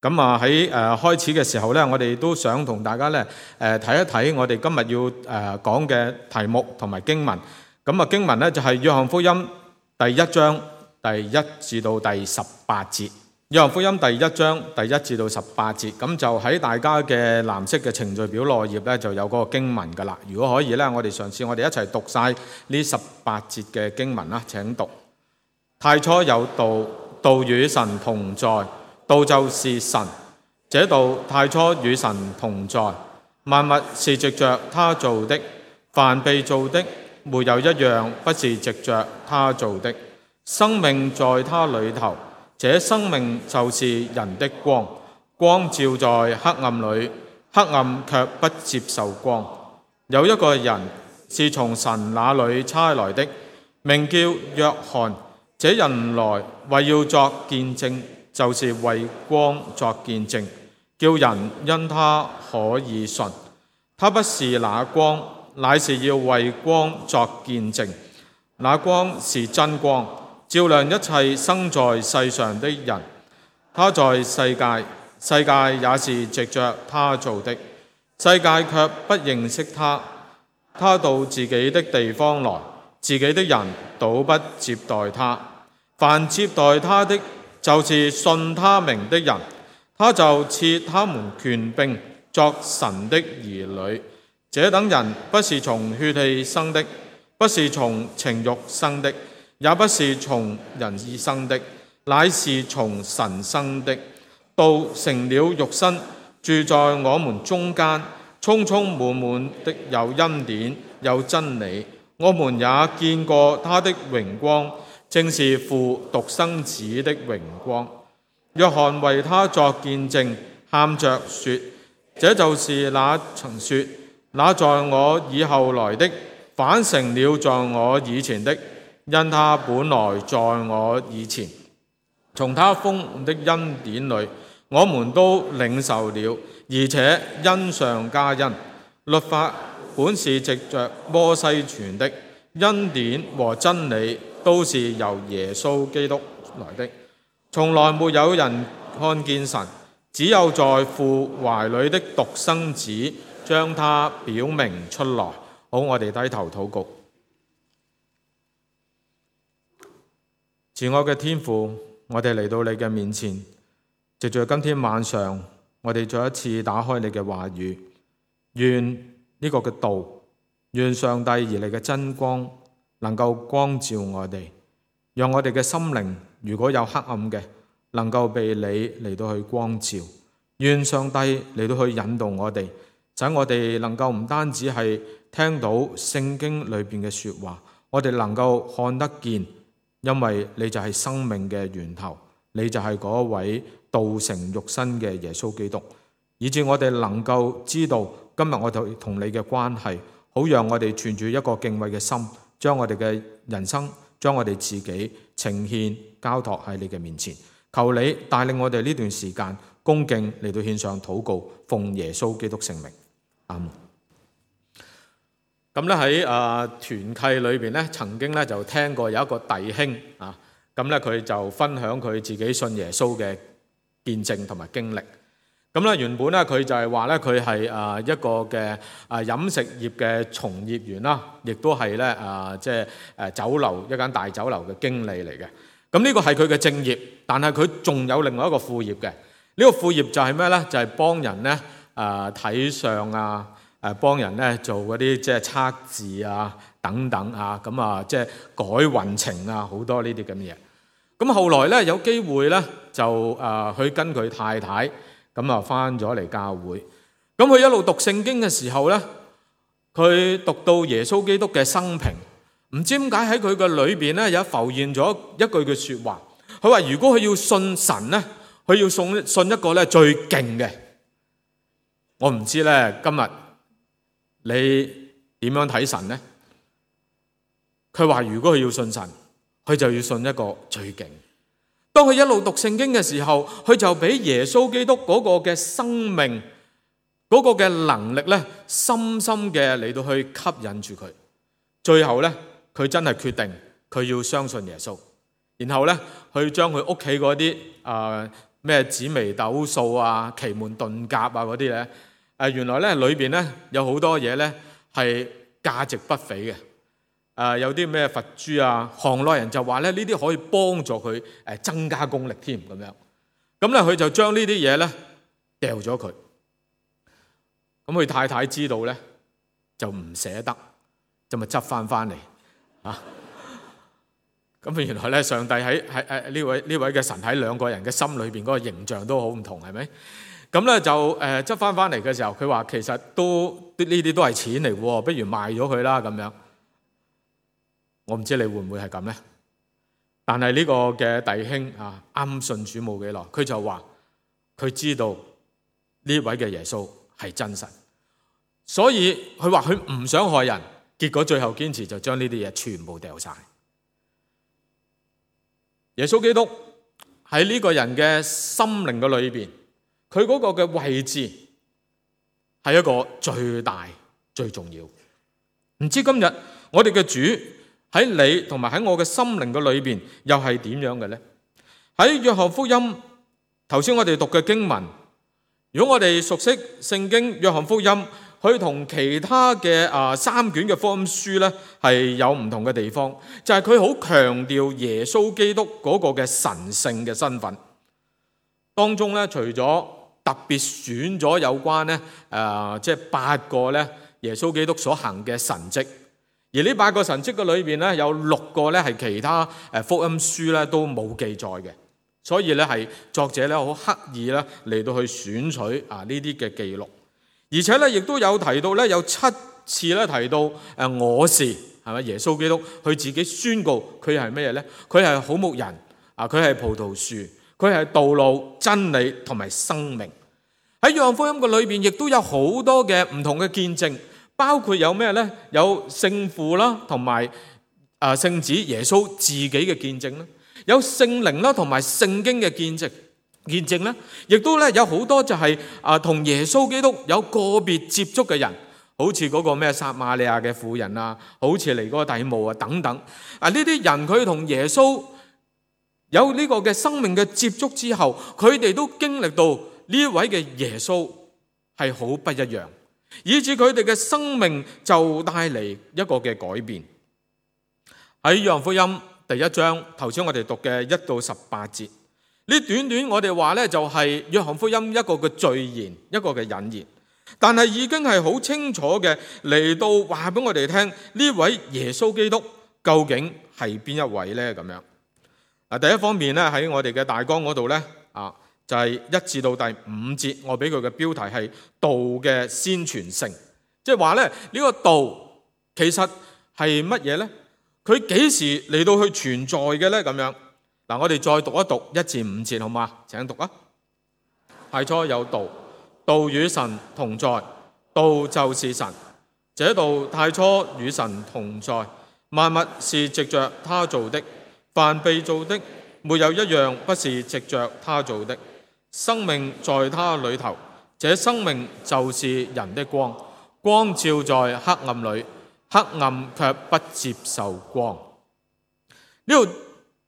咁喺開始嘅時候咧，我哋都想同大家咧睇一睇我哋今日要講嘅題目同埋經文。咁經文咧就係約翰福音第1章第1至到第18節。約翰福音第1章第1至到18節，咁就喺大家嘅藍色嘅程序表內頁咧就有嗰個經文噶啦。如果可以咧，我哋嘗試我哋一齊讀晒呢18節嘅經文啦。請讀。太初有道，道與神同在，道就是神。這道太初與神同在，萬物是藉着他造的，凡被造的沒有一樣不是藉着他造的。生命在他裏頭，這生命就是人的光，光照在黑暗裏，黑暗卻不接受光。有一個人是從神那裏差來的，名叫約翰。這人來為要作見證，就是為光作見證，叫人因他可以信。他不是那光，乃是要為光作見證。那光是真光，照亮一切生在世上的人。他在世界，世界也是藉着他造的，世界卻不認識他。他到自己的地方來，自己的人倒不接待他。凡接待他的，就是信他名的人，他就賜他們權柄作神的兒女。這等人不是從血氣生的，不是從情慾生的，也不是從人意生的，乃是從神生的。道成了肉身，住在我們中間，充充滿滿的有恩典有真理。我們也見過他的榮光，正是父獨生子的榮光。約翰為他作見證，喊着說：這就是那曾說，那在我以後來的，反成了在我以前的，因他本來在我以前。從他豐的恩典裏，我們都領受了，而且恩上加恩。律法本是藉着摩西傳的，恩典和真理都是由耶穌基督來的。從來沒有人看見神，只有在父懷裏的獨生子將他表明出來。好，我哋低頭禱告。慈愛嘅天父，我哋嚟到你嘅面前，藉着今天晚上，我哋再一次打開你嘅話語，願呢個嘅道，願上帝而嚟嘅真光能夠光照我哋，讓我哋嘅心靈如果有黑暗嘅，能夠被你嚟到去光照。願上帝嚟到去引導我哋，使我哋能夠唔單止係聽到聖經裏邊嘅說話，我哋能夠看得見，因為你就係生命嘅源頭，你就係嗰位道成肉身嘅耶穌基督，以致我哋能夠知道今日我哋同你嘅關係，好讓我哋存住一個敬畏嘅心，將我哋嘅人生，將我哋自己呈獻交託喺你嘅面前。求你帶領我哋呢段時間恭敬嚟到獻上禱告，奉耶穌基督聖名，阿門。咁咧喺團契裏邊咧，曾經咧就聽過有一個弟兄啊，咁咧佢就分享佢自己信耶穌嘅見證同埋經歷。咁咧原本咧佢就係話咧佢係一個嘅飲食業嘅從業員啦，亦都係咧即係酒樓一間大酒樓嘅經理嚟嘅。咁呢個係佢嘅正業，但係佢仲有另外一個副業嘅。呢個副業就係咩咧？就係幫人咧睇相啊，幫人咧做嗰啲即係測字啊等等啊，咁啊即係改運程啊，好多呢啲咁嘅嘢。咁後來咧有機會咧就去跟佢太太咁啊翻咗嚟教會。咁佢一路讀聖經嘅時候咧，佢讀到耶穌基督嘅生平，唔知點解喺佢嘅裏邊咧有浮現咗一句嘅説話。佢話如果佢要信神咧，佢要信一個咧最勁嘅。我唔知咧今日你點樣睇神呢？佢話如果佢要信神，佢就要信一個最勁。當佢一路讀聖經嘅時候，佢就俾耶穌基督嗰個嘅生命，嗰個嘅能力咧，深深嘅嚟到去吸引住佢。最後咧，佢真係決定佢要相信耶穌。然後咧，去將佢屋企嗰啲咩紫微斗數啊、奇門遁甲啊嗰啲咧，原來咧裏邊咧有好多嘢咧係價值不菲嘅。有啲咩佛珠啊，行內人就話咧呢啲可以幫助佢增加功力添咁樣。咁咧佢就將呢啲嘢咧掉咗佢。咁佢太太知道咧就唔捨得，就咪執翻嚟啊！咁原來咧上帝喺呢位嘅神喺兩個人嘅心裏邊嗰個形象都好唔同，係咪？咁咧就執翻嚟嘅時候，佢話其實都呢啲都係錢嚟喎，不如賣咗佢啦咁樣。我唔知你會唔會係咁咧？但係呢個嘅弟兄啊，啱信主冇幾耐，佢就話佢知道呢位嘅耶穌係真神，所以佢話佢唔想害人，結果最後堅持就將呢啲嘢全部掉晒。耶穌基督喺呢個人嘅心靈嘅裏邊，佢嗰個嘅位置係一個最大最重要。唔知今日我哋嘅主喺你同埋喺我嘅心靈嘅裏邊又係點樣嘅呢？喺約翰福音頭先我哋讀嘅經文，如果我哋熟悉聖經約翰福音，佢同其他嘅3卷嘅福音書咧係有唔同嘅地方，就係佢好強調耶穌基督嗰個嘅神聖嘅身份。當中咧，除咗特別選咗有關咧即係8個咧耶穌基督所行嘅神蹟，而呢8個神蹟嘅裏邊咧有6個咧係其他福音書咧都冇記載嘅，所以咧係作者咧好刻意咧嚟到去選取呢啲嘅記錄。而且咧，亦都有提到咧，有7次咧提到我是係咪耶穌基督？佢自己宣告佢係咩咧？佢係好牧人啊！佢係葡萄樹，佢係道路、真理同埋生命。喺約翰福音嘅裏邊，亦都有好多嘅唔同嘅見證，包括有咩咧？有聖父啦，同埋聖子耶穌自己嘅見證啦，有聖靈啦，同埋聖經嘅見證咧，亦都咧有好多就係同耶穌基督有個別接觸嘅人，好似嗰個咩撒瑪利亞嘅婦人啊，好似尼哥底母啊等等。呢啲人佢同耶穌有呢個嘅生命嘅接觸之後，佢哋都經歷到呢位嘅耶穌係好不一樣，以致佢哋嘅生命就帶嚟一個嘅改變。喺約翰福音第1章，頭先我哋讀嘅1到18節。呢短短我哋話咧就係約翰福音一個嘅序言，一個嘅引言，但係已經係好清楚嘅嚟到話俾我哋聽，呢位耶穌基督究竟係邊一位咧？咁樣第一方面咧喺我哋嘅大綱嗰度咧就係1至到第5節，我俾佢嘅標題係道嘅先傳性，即係話咧呢個道其實係乜嘢咧？佢幾時嚟到去存在嘅咧？咁樣。我哋再讀一讀1至5節，好嗎？請讀啊！太初有道，道與神同在，道就是神。這道太初與神同在，萬物是藉着他造的，凡被造的，沒有一樣不是藉着他造的。生命在他裏頭，這生命就是人的光。光照在黑暗裏，黑暗卻不接受光。呢度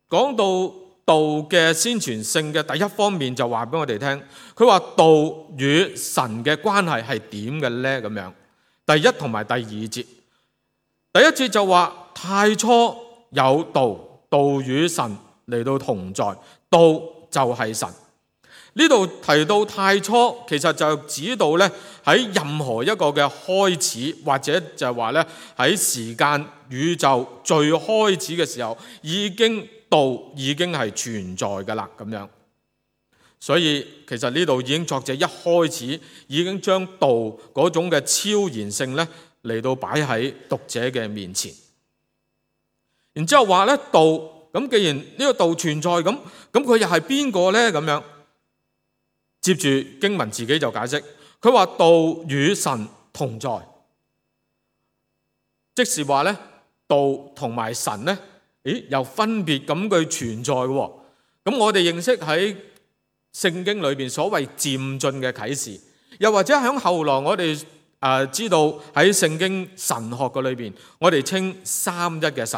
講到道嘅先傳性嘅第一方面，就話俾我哋聽，佢話道與神嘅關係係點嘅咧？咁樣，第1同埋第2節，第1節就話太初有道，道與神嚟到同在，道就係神。呢度提到太初，其實就指到咧喺任何一個嘅開始，或者就係話咧喺時間宇宙最開始嘅時候，道已經係存在㗎啦，咁樣。所以其實呢度已經作者一開始已經將道嗰種嘅超然性咧嚟到擺喺讀者嘅面前。然之後話咧道，咁既然呢個道存在，咁佢又係邊個咧？咁樣。接住經文自己就解釋，佢話道與神同在，即是話咧道同埋神咧，又分別咁佢存在嘅。咁我哋認識喺聖經裏邊所謂漸進嘅啟示，又或者喺後來我哋知道喺聖經神學嘅裏邊，我哋稱三一嘅神。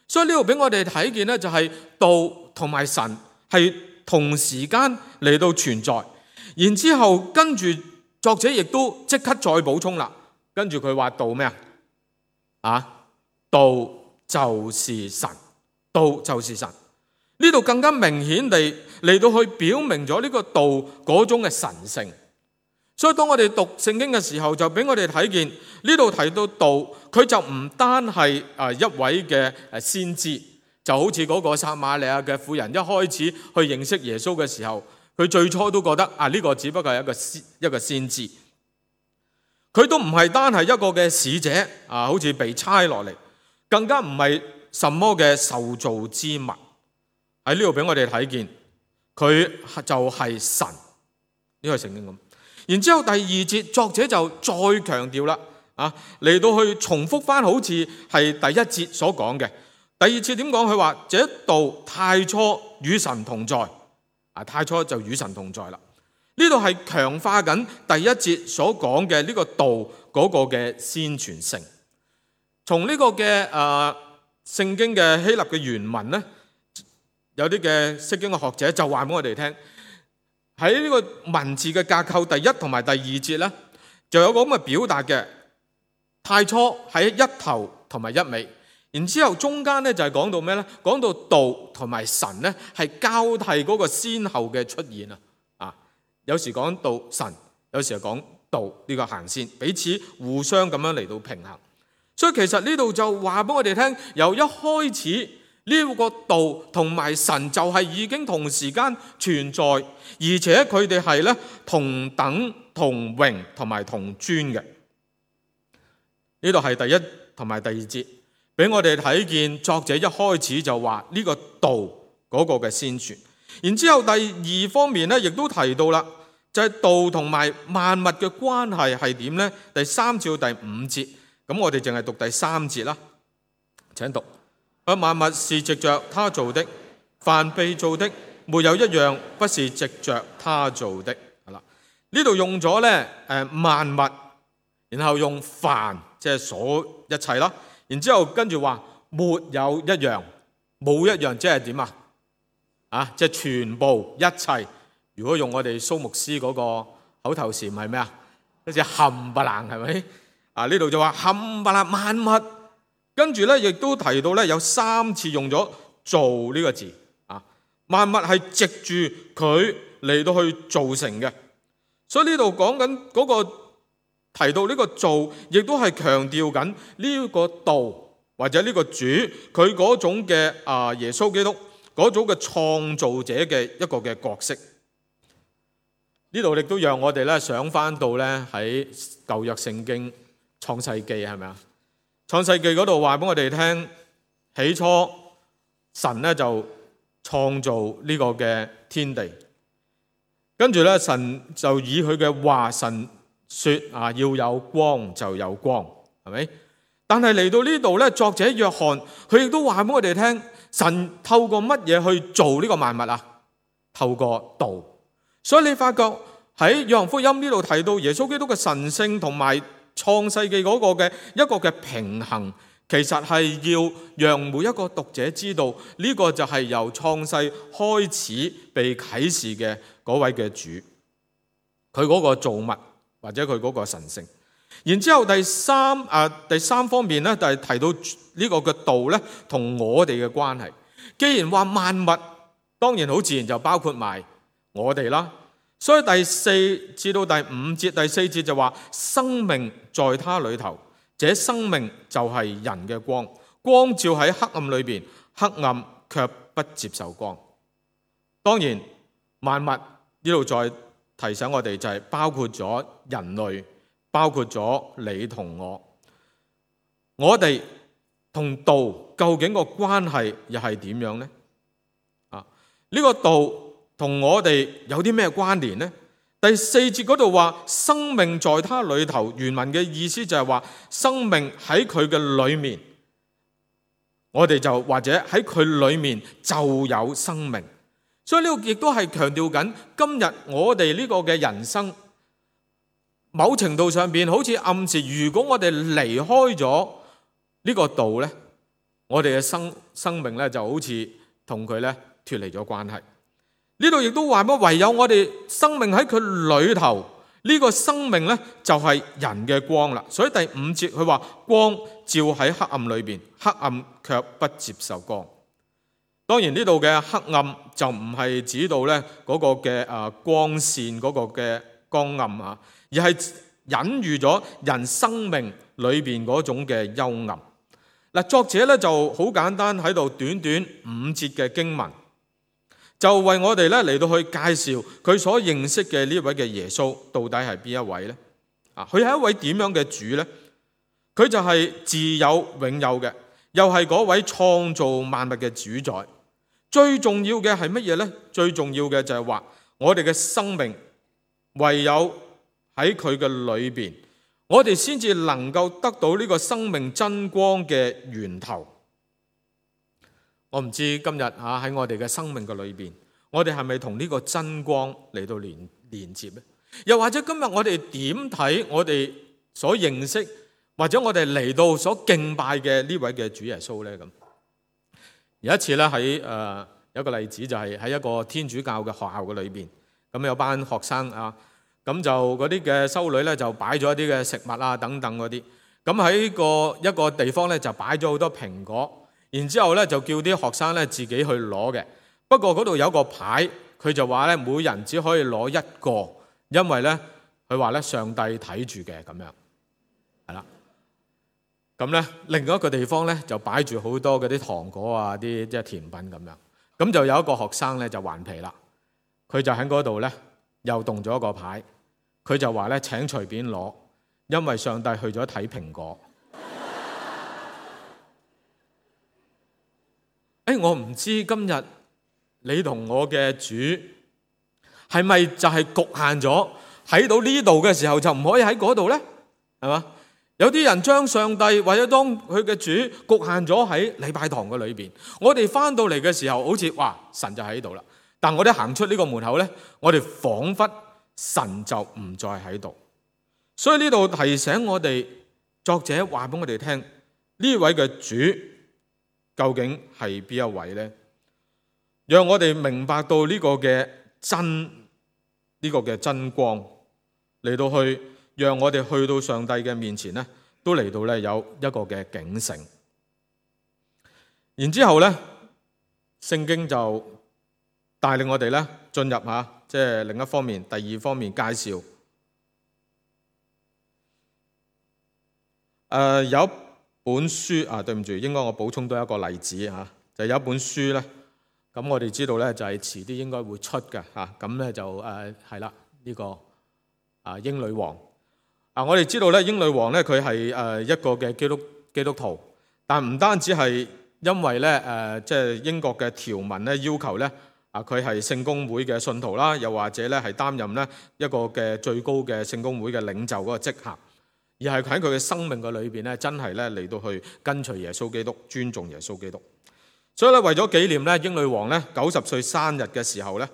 所以呢度俾我哋睇見咧，就係道同埋神係同時間嚟到存在。然之後跟住作者亦都即刻再補充啦，跟住佢話道咩啊？道就是神，道就是神。呢度更加明顯地嚟到去表明咗呢個道嗰種嘅神性。所以當我哋讀聖經嘅時候，就俾我哋睇見呢度提到道，佢就唔單係一位嘅先知，就好似嗰個撒瑪利亞嘅婦人一開始去認識耶穌嘅時候，佢最初都覺得呢個只不過係一個先知，佢都唔係單係一個嘅使者好似被差落嚟，更加唔係什麼嘅受造之物。喺呢度俾我哋睇見，佢就係神，呢個聖經咁。然之後第二節作者就再強調啦，嚟到去重複翻好似係第一節所講嘅。第二節點講？佢話這道太初與神同在，太初就與神同在啦。呢度係強化緊第一節所講嘅呢個道嗰個嘅先傳性。從呢個嘅聖經嘅希臘嘅原文呢，有啲嘅釋經嘅學者就話俾我哋聽，喺呢個文字嘅架構第一同埋第二節呢，就有個咁嘅表達嘅。太初喺一頭同埋一尾，然之後中間呢就係講到咩呢？講到道同埋神呢係交替嗰個先後嘅出現啊！有時講道神，有時係講道呢個行先，彼此互相咁樣嚟到平衡。所以其實呢度就話俾我哋聽，由一開始呢個道同埋神就係已經同時間存在，而且佢哋係咧同等同榮同埋同尊嘅。呢度係第一同埋第二節，俾我哋睇見作者一開始就話呢個道嗰個嘅先傳。然之後第二方面咧，亦都提到啦，就係道同埋萬物嘅關係係點呢？第3至到第5節，咁我哋淨係讀第3節啦。請讀。萬物是藉着他做的，凡被造的，沒有一樣不是藉着他做的。係啦，呢度用咗咧萬物，然後用凡，即係所一切啦。然之後跟住話沒有一樣，冇一樣即係點啊？即係全部一切。如果用我哋蘇牧師嗰個口頭禪係咩啊？好似冚唪唥係咪？呢度就話冚唪唥萬物。跟住咧，亦都提到咧，有3次用咗造呢個字啊！萬物係藉住佢嚟到去造成嘅，所以呢度講緊嗰個提到呢個造，亦都係強調緊呢個道或者呢個主佢嗰種嘅耶穌基督嗰種嘅創造者嘅一個嘅角色。呢度亦都讓我哋咧想翻到咧喺舊約聖經創世記係咪啊？創世記嗰度話俾我哋聽，起初神咧就創造呢個嘅天地，跟住咧神就以佢嘅話，神說要有光就有光，係咪？但係嚟到呢度咧，作者約翰佢亦都話俾我哋聽，神透過乜嘢去做呢個萬物啊？透過道。所以你發覺喺約翰福音呢度提到耶穌基督嘅神性同埋創世記嗰個嘅一個嘅平衡，其實係要讓每一個讀者知道呢個就係由創世開始被啟示嘅嗰位嘅主，佢嗰個造物或者佢嗰個神性。然之後第三方面咧，就係提到呢個嘅道咧同我哋嘅關係。既然話萬物，當然好自然就包括埋我哋啦。所以第4至到第5節，第4節就話生命在他裏頭，這生命就係人嘅光，光照喺黑暗裏邊，黑暗卻不接受光。當然萬物呢度再提醒我哋，就係包括咗人類，包括咗你同我哋同道究竟個關係又係點樣呢？呢個道同我哋有啲咩關聯呢？第4節嗰度話生命在他裏頭，原文嘅意思就係話生命喺佢嘅裏面，我哋就或者喺佢裏面就有生命。所以呢個亦都係強調緊今日我哋呢個嘅人生，某程度上邊好似暗示，如果我哋離開咗呢個道呢，我哋嘅生命呢就好似同佢呢脫離咗關係。呢度亦都話乜？唯有我哋生命喺佢裏頭，呢個生命呢，就係人嘅光啦。所以第5節佢話光照喺黑暗裏邊，黑暗卻不接受光。當然呢度嘅黑暗就唔係指到呢嗰個嘅光線嗰個嘅光暗啊，而係隱喻咗人生命裏邊嗰種嘅幽暗。嗱，作者呢就好簡單喺度短短5節嘅經文，就為我哋呢嚟到去介紹佢所認識嘅呢位嘅耶穌到底係邊一位呢？佢係一位點樣嘅主呢？佢就係自有永有嘅，又係嗰位創造萬物嘅主宰。最重要嘅係乜嘢呢？最重要嘅就係話我哋嘅生命唯有喺佢嘅裏邊，我哋先至能夠得到呢個生命真光嘅源頭。我唔知今日喺我哋嘅生命嘅裏邊，我哋係咪同呢個真光嚟到連接呢？又或者今日我哋點睇我哋所認識或者我哋嚟到所敬拜嘅呢位嘅主耶穌呢？咁有一次咧，喺有一個例子就係喺一個天主教嘅學校嘅裏邊，咁有班學生咁就嗰啲嘅修女咧就擺咗一啲嘅食物等等嗰啲，咁喺一個地方咧就擺咗好多蘋果，然之後咧就叫啲學生咧自己去攞嘅。不過嗰度有個牌，佢就話咧每人只可以攞1個，因為咧佢話咧上帝睇住嘅咁樣，係啦。咁咧，另外一個地方咧就擺住好多嗰啲糖果啲即係甜品咁樣。咁就有一個學生咧就頑皮啦，佢就喺嗰度咧又動咗一個牌，佢就話咧請隨便攞，因為上帝去咗睇蘋果。我唔知今日你同我嘅主係咪就係局限咗喺到呢度嘅時候就唔可以喺嗰度咧？係嘛？有啲人將上帝或者當佢嘅主局限咗喺禮拜堂嘅裏邊，我哋翻到嚟嘅時候好似哇神就喺度啦，但我哋行出呢個門口呢，我哋仿佛神就唔再喺度。所以呢度提醒我哋，作者話俾我哋聽，呢位嘅主究竟係邊一位呢？讓我哋明白到呢個嘅真光嚟到去。讓我哋去到上帝嘅面前呢，都嚟到咧有一個嘅警醒。然之後呢，聖經就帶領我哋咧進入即係另一方面，第2方面介紹。有一本書對唔住，應該我補充多一個例子就有一本書咧，咁我哋知道咧就係遲啲應該會出嘅咁咧就係啦呢個英女王。我哋知道咧，英女王咧佢係一個嘅基督徒，但唔單止係因為咧即係英國嘅條文咧要求咧佢係聖公會嘅信徒啦，又或者咧係擔任咧一個嘅最高嘅聖公會嘅領袖嗰個職銜，而係喺佢嘅生命嘅裏邊咧真係咧嚟到去跟隨耶穌基督，尊重耶穌基督。所以咧為咗紀念咧英女王咧90歲生日嘅時候咧，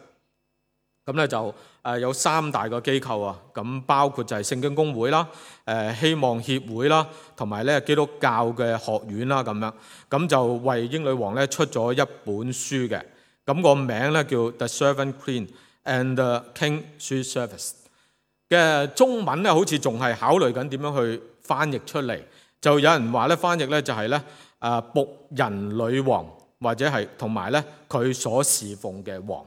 咁咧就有3大個機構咁包括就係聖經公會啦、希望協會啦，同埋咧基督教嘅學院啦咁樣，咁就為英女王咧出咗一本書嘅，咁個名咧叫 The Servant Queen and the King She Serves 嘅中文咧，好似仲係考慮緊點樣去翻譯出嚟，就有人話咧翻譯咧就係咧僕人女王，或者係同埋咧佢所侍奉嘅王。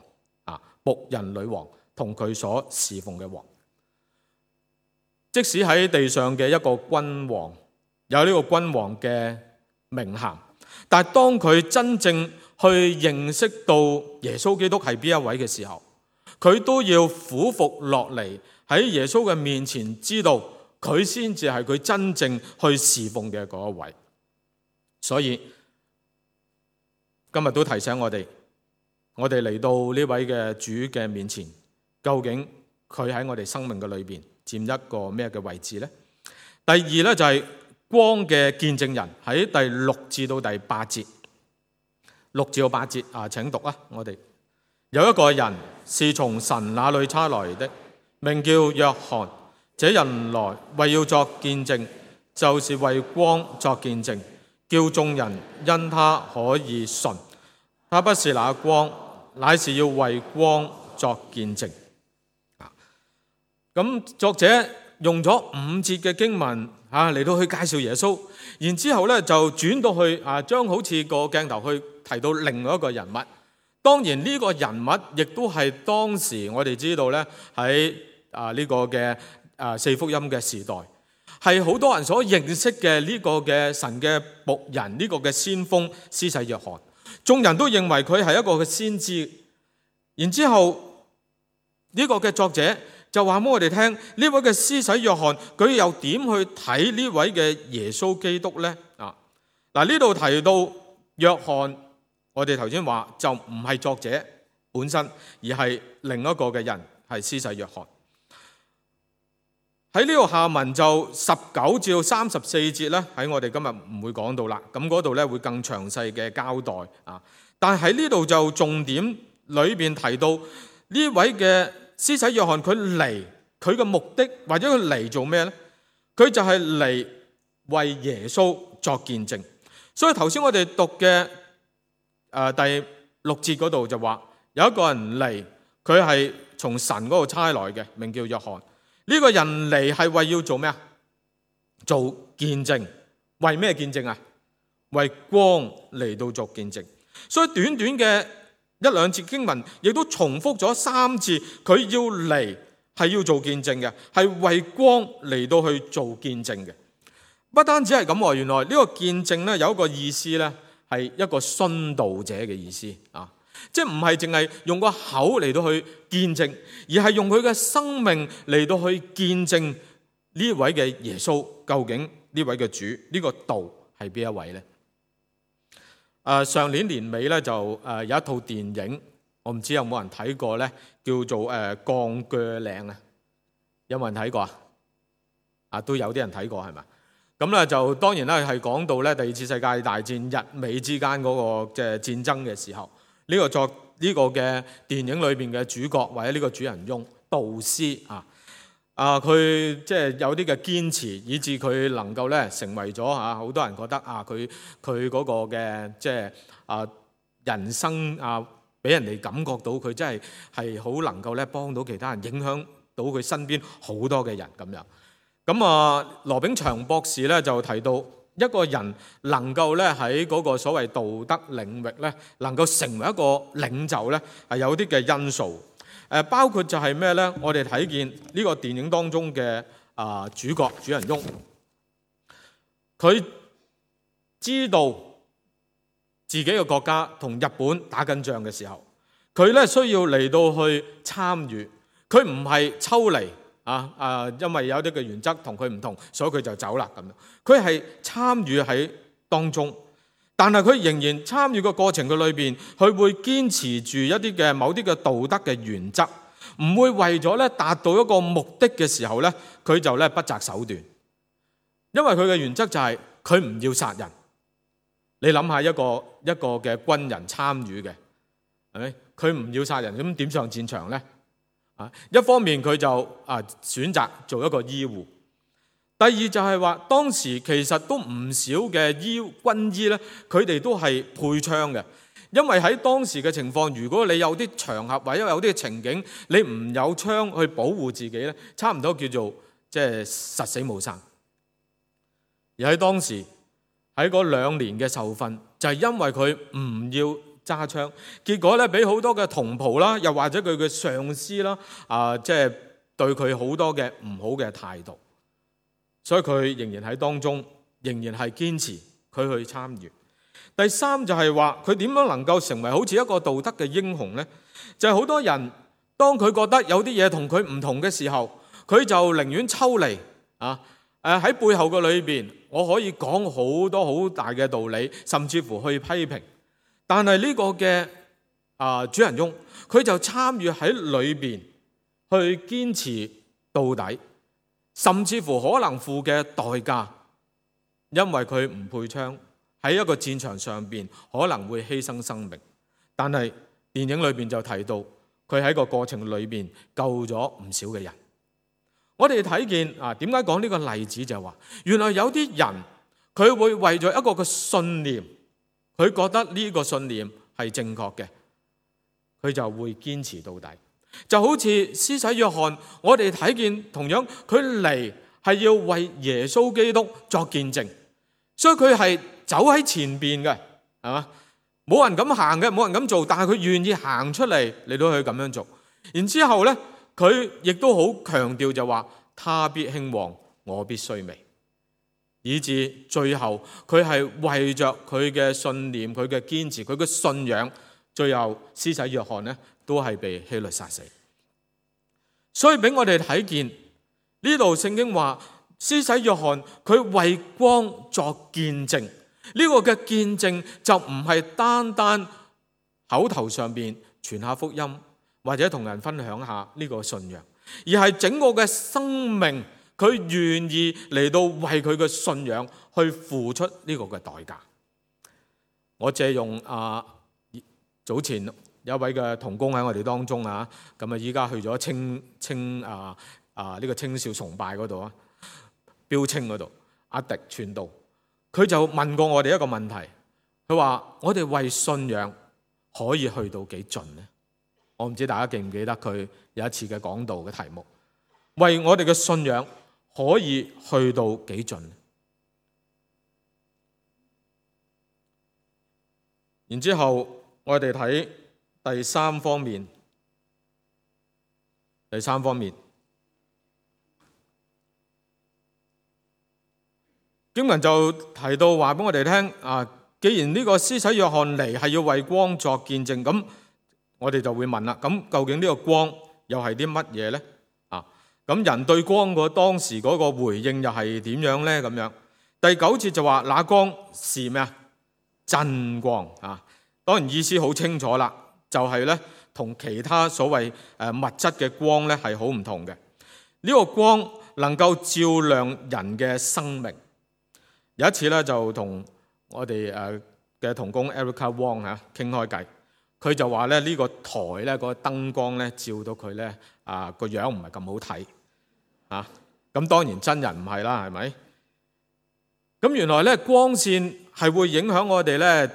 僕人女王同佢所侍奉嘅王，即使喺地上嘅一個君王有呢個君王嘅名銜，但係當佢真正去認識到耶穌基督係邊一位嘅時候，佢都要俯伏落嚟喺耶穌嘅面前，知道佢先至係佢真正去侍奉嘅嗰一位。所以今日都提醒我哋嚟到呢位嘅主嘅面前，究竟佢喺我哋生命嘅裏邊佔一個咩嘅位置呢？第2呢，就係光嘅見證人，喺第6至到第8節，6至到8節請讀我哋有一個人是從神那裏差來的，名叫約翰。這人來為要作見證，就是為光作見證，叫眾人因他可以信。他不是那光，乃是要為光作見證。咁作者用咗5節嘅經文嚟到去介紹耶穌，然之後咧就轉到去將好似個鏡頭去提到另外一個人物。當然呢個人物亦都係當時我哋知道咧喺呢個嘅四福音嘅時代，係好多人所認識嘅呢個嘅神嘅僕人，呢個嘅先鋒施洗約翰。眾人都認為佢係一個嘅先知。然之後呢個嘅作者就話俾我哋聽，呢位嘅施洗約翰佢又點去睇呢位嘅耶穌基督呢？呢度提到約翰，我哋頭先話就唔係作者本身，而係另一個嘅人，係施洗約翰。喺呢個下文就19至34節咧，喺我哋今日唔會講到啦。咁嗰度咧會更詳細嘅交代啊。但係喺呢度就重點裏邊提到呢位嘅施洗約翰，佢嚟佢嘅目的或者佢嚟做咩呢？佢就係嚟為耶穌作見證。所以頭先我哋讀嘅第6節嗰度就話有一個人嚟，佢係從神嗰度差來嘅，名叫約翰。呢個人嚟係為要做咩啊？做見證。為咩見證啊？為光嚟到作見證。所以短短嘅1、2節經文亦都重複咗3次，佢要嚟係要做見證嘅，係為光嚟到去做見證嘅。不單止係咁喎，原來呢個見證咧有一個意思咧，係一個殉道者嘅意思啊。即係唔係淨係用個口嚟到去見證，而係用佢嘅生命嚟到去見證呢位嘅耶穌，究竟呢位嘅主呢個道係邊一位呢？上年年尾咧就有一套電影，我唔知有冇人睇過咧，叫做《鋼鋸嶺》啊，有冇人睇過啊？都有啲人睇過係咪？咁咧就當然啦，係講到咧第2次世界大戰日美之間嗰個即係戰爭嘅時候。呢個嘅電影裏邊嘅主角或者呢個主人翁杜斯佢即係有啲嘅堅持，以致佢能夠咧成為咗好多人覺得佢嗰個嘅即係人生俾人哋感覺到佢真係好能夠咧幫到其他人，影響到佢身邊好多嘅人咁樣。咁羅炳祥博士咧就提到，一個人能夠咧喺嗰個所謂道德領域咧，能夠成為一個領袖咧，係有啲嘅因素。包括就係咩咧？我哋睇見呢個電影當中嘅主角主人翁，佢知道自己嘅國家同日本打緊仗嘅時候，佢咧需要嚟到去參與，佢唔係抽離。因為有啲嘅原則同佢唔同，所以佢就走啦咁樣。佢係參與喺當中，但係佢仍然參與嘅過程嘅裏邊，佢會堅持住一啲嘅某啲嘅道德嘅原則，唔會為咗咧達到一個目的嘅時候咧，佢就咧不擇手段。因為佢嘅原則就係佢唔要殺人。你諗下一個嘅軍人參與嘅，係咪？佢唔要殺人，咁點上戰場咧？一方面佢就選擇做一個醫護，第二就係話當時其實都唔少嘅軍醫咧，佢哋都係配槍嘅，因為喺當時嘅情況，如果你有啲場合或者有啲情景，你唔有槍去保護自己咧，差唔多叫做即係實死冇生。而喺當時喺嗰2年嘅受訓，就係因為佢唔要揸槍，結果咧俾好多嘅同袍啦，又或者佢嘅上司啦，即係對佢好多嘅唔好嘅態度，所以佢仍然喺當中，仍然係堅持佢去參與。第3就係話佢點樣能夠成為好似一個道德嘅英雄呢？就係好多人當佢覺得有啲嘢同佢唔同嘅時候，佢就寧願抽離喺背後嘅裏邊，我可以講好多好大嘅道理，甚至乎去批評。但係呢個嘅主人翁，佢就參與喺裏邊去堅持到底，甚至乎可能付嘅代價，因為佢唔配槍，喺一個戰場上邊可能會犧牲生命。但係電影裏邊就提到，佢喺個過程裏邊救咗唔少嘅人。我哋睇見點解講呢個例子，就係話原來有啲人佢會為咗一個嘅信念，佢覺得呢個信念係正確嘅，佢就會堅持到底。就好似施洗約翰，我哋睇見同樣佢嚟係要為耶穌基督作見證，所以佢係走喺前邊嘅，係嘛？冇人咁行嘅，冇人咁做，但係佢願意行出嚟到去咁樣做。然之後呢，佢亦都好強調就話：他必興旺，我必衰微。以至最後佢係為着佢嘅信念、佢嘅堅持、佢嘅信仰，最後施洗約翰呢都係被希律殺死。所以俾我哋睇見呢度聖經話，施洗約翰佢為光作見證。呢個嘅見證就唔係單單口頭上邊傳下福音，或者同人分享下呢個信仰，而係整個嘅生命，佢願意嚟到為佢嘅信仰去付出呢個嘅代價。我借用早前有一位嘅同工喺我哋當中啊，咁啊依家去咗呢個青少崇拜嗰度啊，標青嗰度，阿迪傳道。佢就問過我哋一個問題，佢話：我哋為信仰可以去到幾盡呢？我唔知大家記唔記得佢有一次嘅講道嘅題目，為我哋嘅信仰可以去到幾盡？然之後我哋睇第三方面，經文就提到話俾我哋聽既然呢個施洗約翰嚟係要為光作見證，咁我哋就會問啦，咁究竟呢個光又係啲乜嘢呢？咁人對光當時嗰個回應又係點樣呢？咁樣第9節就話那光是咩啊？真光啊！當然意思好清楚啦，就係呢同其他所謂物質嘅光呢係好唔同嘅。呢個光能夠照亮人嘅生命。有一次咧，就同我哋嘅同工 Erica Wong 傾開偈，佢就話咧呢個台咧個燈光咧照到佢咧個樣唔係咁好睇咁當然真人唔係啦，係咪？咁原來咧光線係會影響我哋咧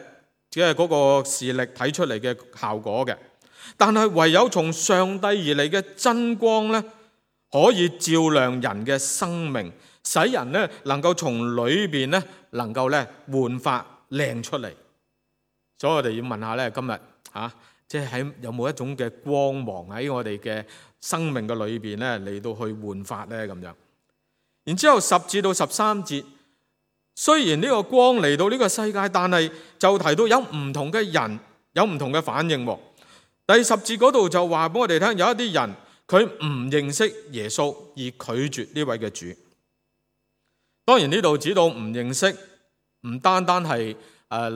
即係嗰個視力睇出嚟嘅效果嘅，但係唯有從上帝而嚟嘅真光咧，可以照亮人嘅生命。使人咧能夠從裏邊咧能夠咧煥發靚出嚟，所以我哋要問下咧今日即係喺有冇一種嘅光芒喺我哋嘅生命嘅裏邊咧嚟到去煥發咧咁樣。然之後10至到13節，雖然呢個光嚟到呢個世界，但係就提到有唔同嘅人有唔同嘅反應。第10節嗰度就話俾我哋聽，有一啲人佢唔認識耶穌而拒絕呢位嘅主。當然呢度指到唔認識，唔單單係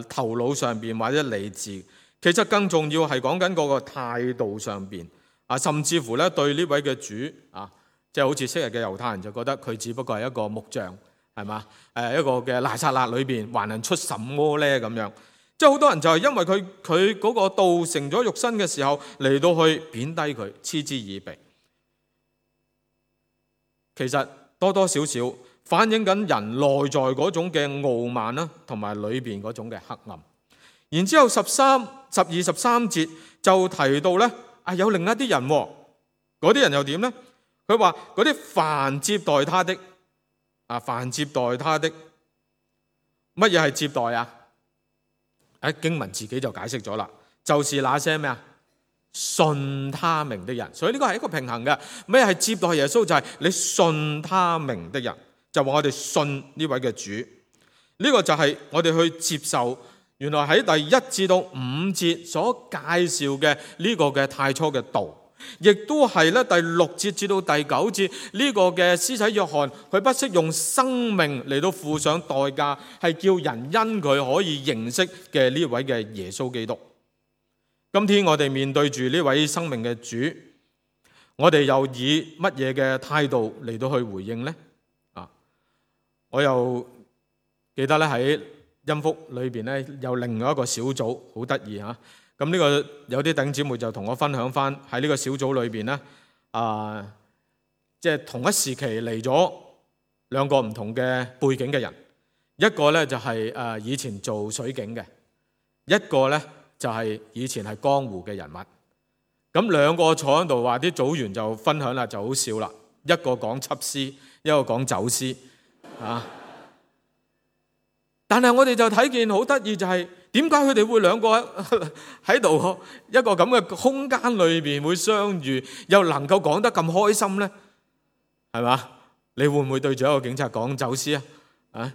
頭腦上邊或者理智，其實更重要係講緊嗰個態度上邊甚至乎咧對呢位嘅主即係好似昔日嘅猶太人就覺得佢只不過係一個木匠，係嘛？一個嘅拿撒勒裏邊還能出什麼呢？咁樣，即係好多人就係因為佢嗰個道成咗肉身嘅時候嚟到去貶低佢，嗤之以鼻。其實多多少少反映緊人內在嗰種嘅傲慢啦，同埋裏邊嗰種嘅黑暗。然之後12、13節就提到咧，有另一啲人，嗰啲人又點咧？佢話嗰啲凡接待他的，凡接待他的，乜嘢係接待啊？經文自己就解釋咗啦，就是那些咩啊？信他名的人。所以呢個係一個平衡嘅。咩係接待耶穌？就係你信他名的人。就話我哋信呢位嘅主，呢個就係我哋去接受。原來喺第1至到5節所介紹嘅呢個嘅太初嘅道，亦都係咧第6節至到第9節呢個嘅施洗約翰，佢不惜用生命嚟到付上代價，係叫人因佢可以認識嘅呢位嘅耶穌基督。今天我哋面對住呢位生命嘅主，我哋又以乜嘢嘅態度嚟到去回應呢？我又記得咧喺音福裏邊咧有另外一個小組好得意嚇，咁呢個有啲弟兄姊妹就同我分享翻喺呢個小組裏邊咧，即係同一時期嚟咗兩個唔同嘅背景嘅人，一個咧就係以前做水警嘅，一個咧就係以前係江湖嘅人物。咁兩個坐喺度話啲組員就分享啦，就好笑啦。一個講緝私，一個講走私啊。但係我哋就睇見好得意，就係點解佢哋會兩個喺度一個咁嘅空間裏邊會相遇，又能夠講得咁開心呢？係嘛？你會唔會對住一個警察講走私啊？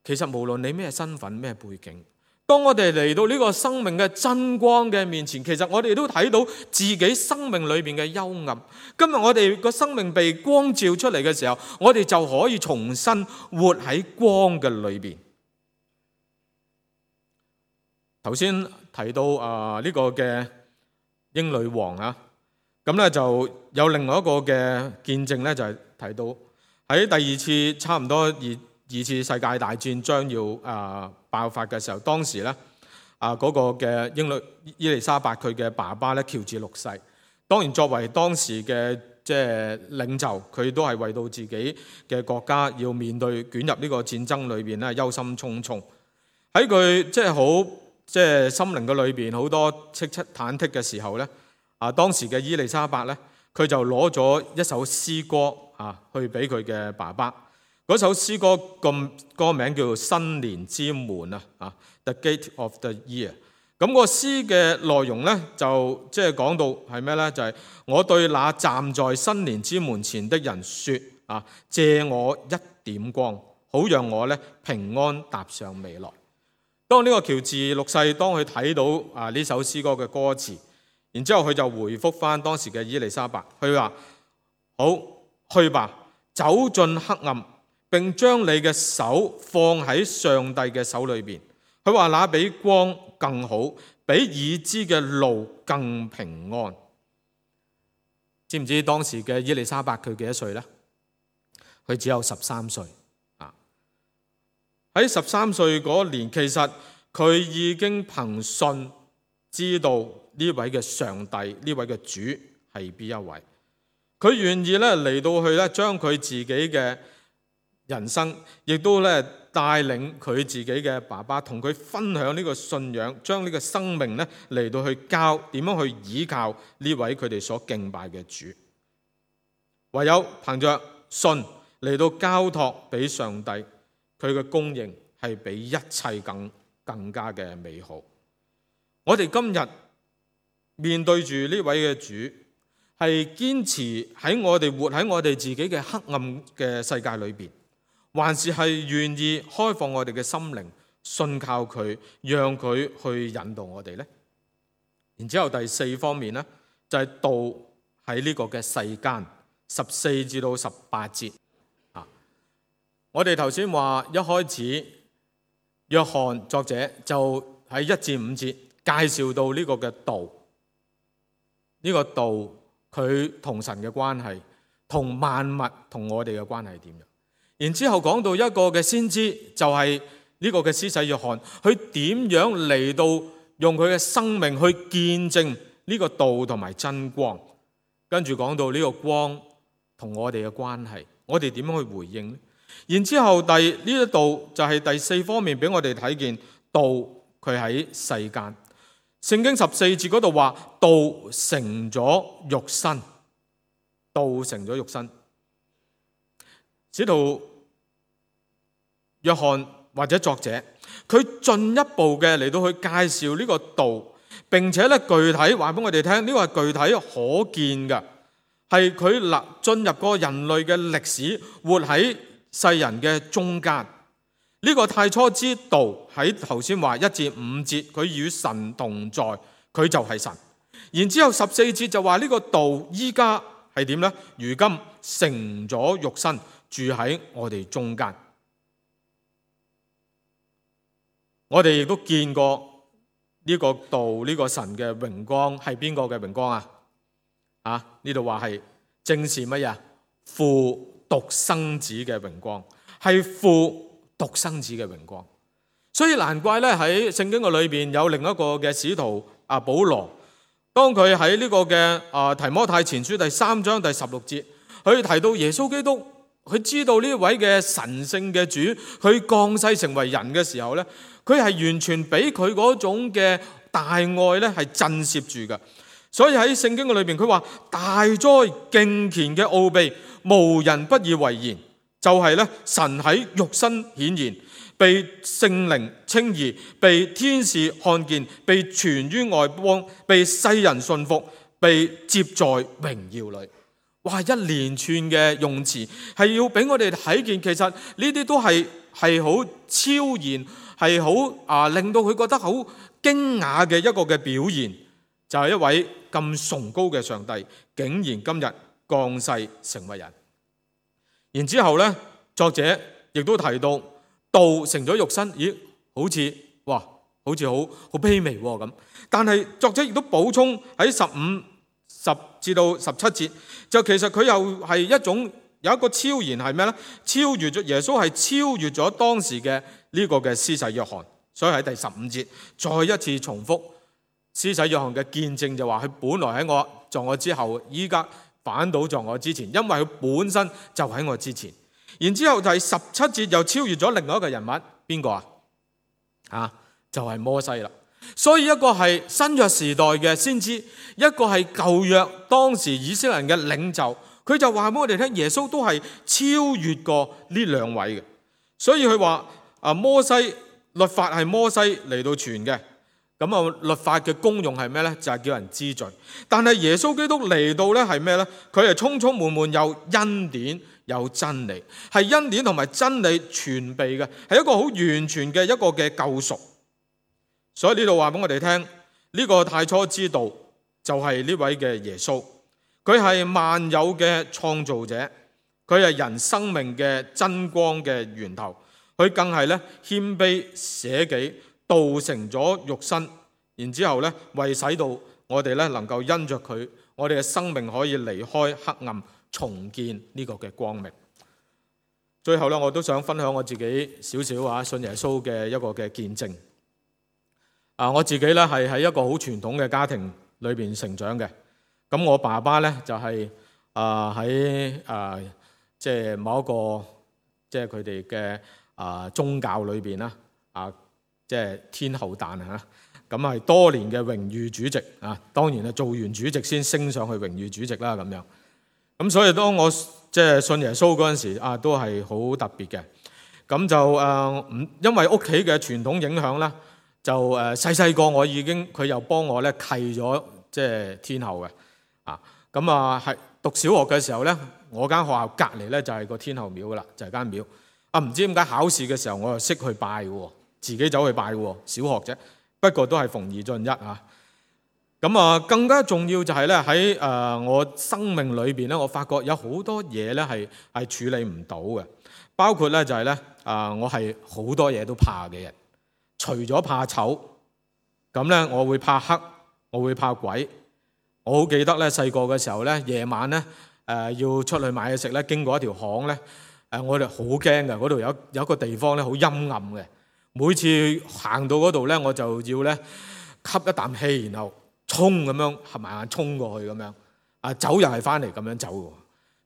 其實無論你咩身份咩背景，當我哋嚟到呢個生命嘅真光嘅面前，其實我哋都睇到自己生命裏邊嘅幽暗。今日我哋個生命被光照出嚟嘅時候，我哋就可以重新活喺光嘅裏邊。頭先提到呢個嘅英女王啊，咁咧就有另外一個嘅見證咧，就係提到喺第二次差唔多二次世界大戰將要爆發嘅時候，當時咧嗰個嘅伊麗莎白佢嘅爸爸咧喬治六世，當然作為當時嘅即係領袖，佢都係為到自己嘅國家要面對捲入呢個戰爭裏邊咧憂心忡忡。喺佢即係好即係心靈嘅裏邊好多戚戚忐忑嘅時候咧，當時嘅伊麗莎白咧，佢就攞咗一首詩歌去俾佢嘅爸爸。嗰首詩歌歌名叫做《新年之門》The Gate of the Year。咁個詩嘅內容咧，就即係講到係咩咧？就係我對那站在新年之門前的人說借我一點光，好讓我咧平安踏上未來。當呢個喬治六世當佢睇到呢首詩歌嘅歌詞，然之後佢就回覆翻當時嘅伊麗莎白，佢話：好，去吧，走進黑暗，並將你嘅手放喺上帝嘅手裏邊。佢話那比光更好，比已知嘅路更平安。知唔知當時嘅伊麗莎白佢幾多歲呢？佢只有13歲。喺13歲嗰年，其實佢已經憑信知道呢位嘅上帝，呢位嘅主係邊一位。佢願意咧嚟到去咧將佢自己嘅人生，亦都咧帶領佢自己嘅爸爸同佢分享呢個信仰，將呢個生命咧嚟到去教點樣去倚靠呢位佢哋所敬拜嘅主。唯有憑着信嚟到交託俾上帝，佢嘅供應係比一切更加嘅美好。我哋今日面對住呢位嘅主，係堅持喺我哋活喺我哋自己嘅黑暗嘅世界裏邊，還是係願意開放我哋嘅心靈，信靠佢，讓佢去引導我哋呢？然之後第四方面呢，就係道喺呢個嘅世間，14至到18節。我哋頭先話一開始，約翰作者就喺1至5節介紹到呢個嘅道，呢個道佢同神嘅關係，同萬物同我哋嘅關係點樣？然之後講到一個嘅先知，就係呢個嘅施洗約翰，佢點樣嚟到用佢嘅生命去見證呢個道同埋真光，跟住講到呢個光同我哋嘅關係，我哋點樣去回應呢？然之後呢一度就係第四方面俾我哋睇見道佢喺世間。聖經14節嗰度話道成咗肉身，道成咗肉身。使徒約翰或者作者，佢進一步嘅嚟到去介紹呢個道，並且咧具體話俾我哋聽，呢個係具體可見嘅，係佢進入過人類嘅歷史，活喺世人嘅中間。呢個太初之道喺頭先話1至5節，佢與神同在，佢就係神。然之後14節就話呢個道依家係點呢？如今成咗肉身，住喺我哋中間。我哋亦都見過呢個道，呢個神嘅榮光係邊個嘅榮光啊？呢度話係正是乜嘢？父獨生子嘅榮光，係父獨生子嘅榮光。所以難怪咧喺聖經嘅裏邊有另一個嘅使徒保羅，當佢喺呢個嘅提摩太前書第3章第16節，佢提到耶穌基督，佢知道呢位嘅神聖嘅主，佢降世成為人嘅時候咧，佢係完全俾佢嗰種嘅大愛咧係震懾住嘅。所以喺聖經嘅裏邊，佢話大哉敬虔嘅奧秘，無人不以為然，就係咧神喺肉身顯現，被聖靈稱義，被天使看見，被傳於外邦，被世人信服，被接在榮耀裏。哇！一連串嘅用詞係要俾我哋睇見，其實呢啲都係好超然，係好令到佢覺得好驚訝嘅一個嘅表現，就係一位咁崇高嘅上帝，竟然今日降世成為人。然之後呢，作者亦都提到道成咗肉身，咦？好似好卑微咁。但係作者亦都補充喺15至到17節，就其實佢又係一種有一個超然係咩呢？超越咗耶穌係超越咗當時嘅呢個嘅施洗約翰。所以喺第15節再一次重複施洗約翰嘅見證，就話佢本來在我之後，依家反倒在我之前，因為佢本身就喺我之前。然之後第17節又超越咗另外一個人物，邊個啊？就係摩西啦。所以一個係新約時代嘅先知，一個係舊約當時以色列人嘅領袖，佢就話俾我哋聽，耶穌都係超越過呢兩位嘅。所以佢話摩西律法係摩西嚟到傳嘅，咁律法嘅功用係咩呢？就係叫人知罪。但係耶穌基督嚟到呢係咩呢？佢係充充滿滿有恩典有真理，係恩典同埋真理全備嘅，係一個好完全嘅一個嘅救贖。所以呢度話俾我哋聽，呢個太初之道就係呢位嘅耶穌，佢係萬有嘅創造者，佢係人生命嘅真光嘅源頭，佢更係咧謙卑捨己，道成咗肉身，然之後咧為使到我哋咧能夠因着佢，我哋嘅生命可以離開黑暗，重建呢個嘅光明。最後咧，我都想分享我自己少少信耶穌嘅一個嘅見證。我自己咧係喺一個好傳統嘅家庭裏邊成長嘅。咁我爸爸咧就係喺即係某一個即係佢哋嘅宗教裏邊啦，即係天后誕嚇。咁係多年嘅榮譽主席啊，當然係做完主席先升上去榮譽主席啦咁樣。咁所以當我即係信耶穌嗰陣時都係好特別嘅。咁就因為屋企嘅傳統影響啦。就細個我已經佢又幫我咧契咗即係天后嘅咁係讀小學嘅時候咧，我間學校隔離咧就係個天后廟噶啦，就係間廟唔知點解考試嘅時候我又識去拜嘅，自己走去拜嘅，小學啫，不過都係逢二進一咁更加重要就係咧喺我生命裏邊咧，我發覺有好多嘢咧係處理唔到嘅，包括咧就係咧我係好多嘢都怕嘅人。除咗怕醜，咁咧我會怕黑，我會怕鬼。我好記得咧細個嘅時候咧，夜晚咧要出去買嘢食咧，經過一條巷咧，我哋好驚嘅。嗰度有一個地方咧好陰暗嘅，每次行到嗰度咧，我就要咧吸一啖氣，然後衝咁樣合埋眼衝過去咁樣走又係翻嚟咁樣走嘅。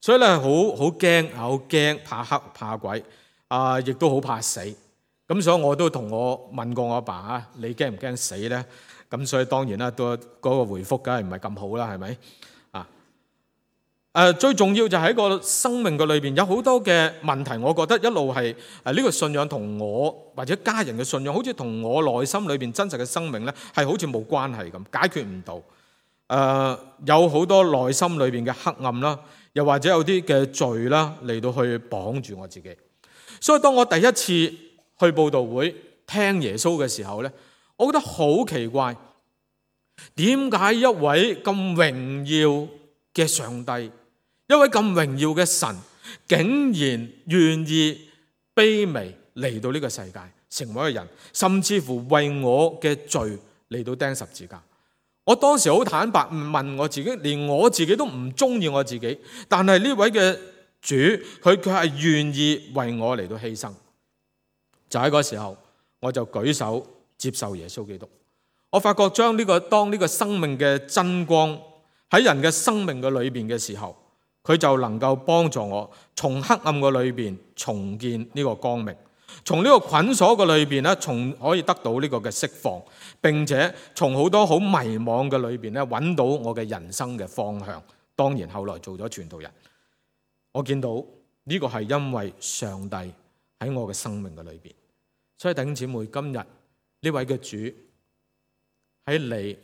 所以咧好驚，怕黑怕鬼亦都好怕死。咁所以我都同我問過我阿爸你驚唔驚死咧？咁所以當然啦，都嗰個回覆梗係唔係咁好啦，係咪？最重要就喺個生命嘅裏邊有好多嘅問題，我覺得一路係呢個信仰同我或者家人嘅信仰，好似同我內心裏邊真實嘅生命咧，係好似冇關係咁，解決唔到。有好多內心裏邊嘅黑暗啦，又或者有啲嘅罪啦嚟到去綁住我自己。所以當我第一次去佈道會聽耶穌嘅時候呢，我覺得好奇怪，點解一位咁榮耀嘅上帝，一位咁榮耀嘅神，竟然願意卑微嚟到呢個世界，成為一個人，甚至乎為我嘅罪嚟到釘十字架。我當時好坦白問我自己，連我自己都唔中意我自己，但係呢位嘅主，佢係願意為我嚟到犧牲。就喺嗰時候，我就舉手接受耶穌基督。我發覺當呢個生命嘅真光喺人嘅生命嘅裏邊嘅時候，佢就能夠幫助我從黑暗嘅裏邊重建呢個光明，從呢個捆鎖嘅裏邊咧，從可以得到呢個嘅釋放，並且從好多好迷惘嘅裏邊咧，揾到我嘅人生嘅方向。當然後來做咗傳道人，我見到呢個係因為上帝喺我嘅生命嘅裏邊。所以弟兄姊妹，今日呢位嘅主喺你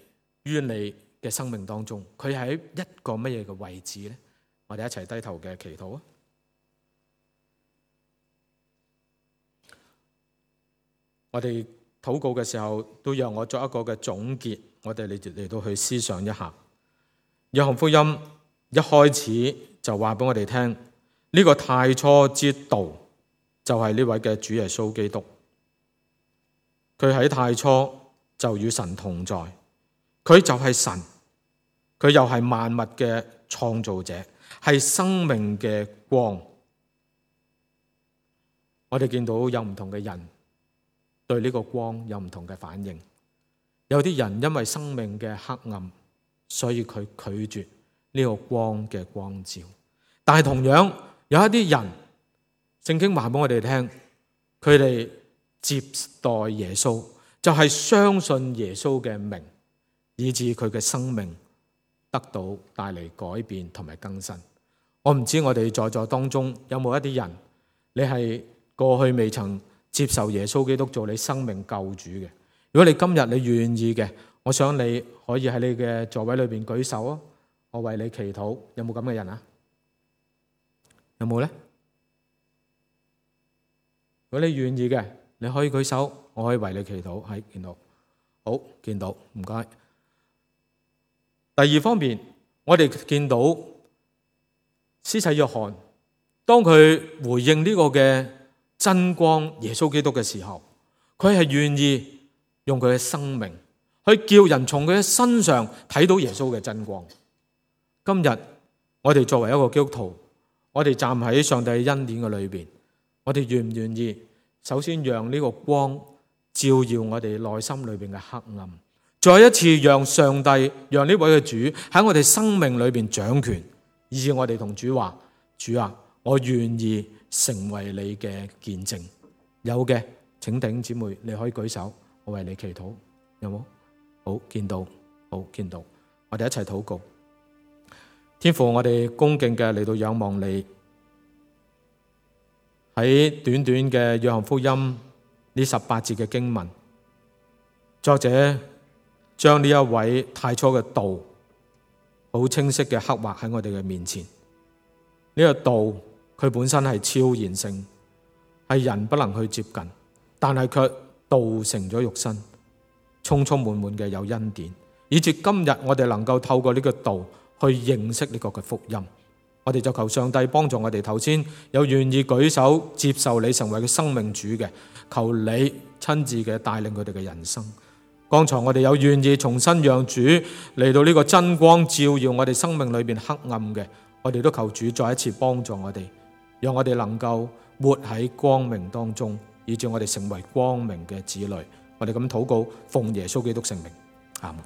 於你嘅生命當中，佢喺一個乜嘢嘅位置呢？我哋一齊低頭嘅祈禱啊！我哋禱告嘅時候，都讓我作一個嘅總結，我哋嚟到去思想一下。約翰福音一開始就話俾我哋聽，呢個太初之道就係呢位嘅主耶穌基督。佢喺太初就與神同在，佢就係神，佢又係萬物嘅創造者，係生命嘅光。我哋見到有唔同嘅人對呢個光有唔同嘅反應，有啲人因為生命嘅黑暗，所以佢拒絕呢個光嘅光照。但係同樣有一啲人，聖經話俾我哋聽，佢哋接待耶穌，就係相信耶穌嘅名，以致佢嘅生命得到帶嚟改變同埋更新。我唔知我哋在座當中有冇一啲人，你係過去未曾接受耶穌基督做你生命救主嘅。如果你今日你願意嘅，我想你可以喺你嘅座位裏邊舉手啊，我為你祈禱。有冇咁嘅人啊？有冇呢？如果你願意嘅，你可以舉手，我可以為你祈禱。係，見到，好，見到，唔該。第二方面，我哋見到施洗約翰，當佢回應呢個嘅真光耶穌基督嘅時候，佢係願意用佢嘅生命去叫人從佢嘅身上睇到耶穌嘅真光。今日我哋作為一個基督徒，我哋站喺上帝嘅恩典嘅裏邊，我哋願唔願意首先讓呢個光照耀我哋內心裏邊嘅黑暗，再一次讓上帝，讓呢位嘅主喺我哋生命裏邊掌權，以致我哋同主話：主啊，我願意成為你嘅見證。有嘅請弟兄姊妹你可以舉手，我為你祈禱。有冇？好，見到，好，見到。我哋一齊禱告。天父，我哋恭敬嘅嚟到仰望你，喺短短嘅約翰福音呢18節嘅經文，作者將呢一位太初嘅道好清晰嘅刻畫喺我哋嘅面前。呢個道佢本身係超然性，係人不能去接近，但係卻道成咗肉身，充充滿滿嘅有恩典，以至今日我哋能夠透過呢個道去認識呢個嘅福音。我哋就求上帝幫助我哋，頭先有願意舉手接受你成為佢生命主嘅，求你親自嘅帶領佢哋嘅人生。剛才我哋有願意重新讓主嚟到呢個真光照耀我哋生命裏邊黑暗嘅，我哋都求主再一次幫助我哋，讓我哋能夠活喺光明當中，以致我哋成為光明嘅子女。我哋咁禱告，奉耶穌基督聖名，阿們。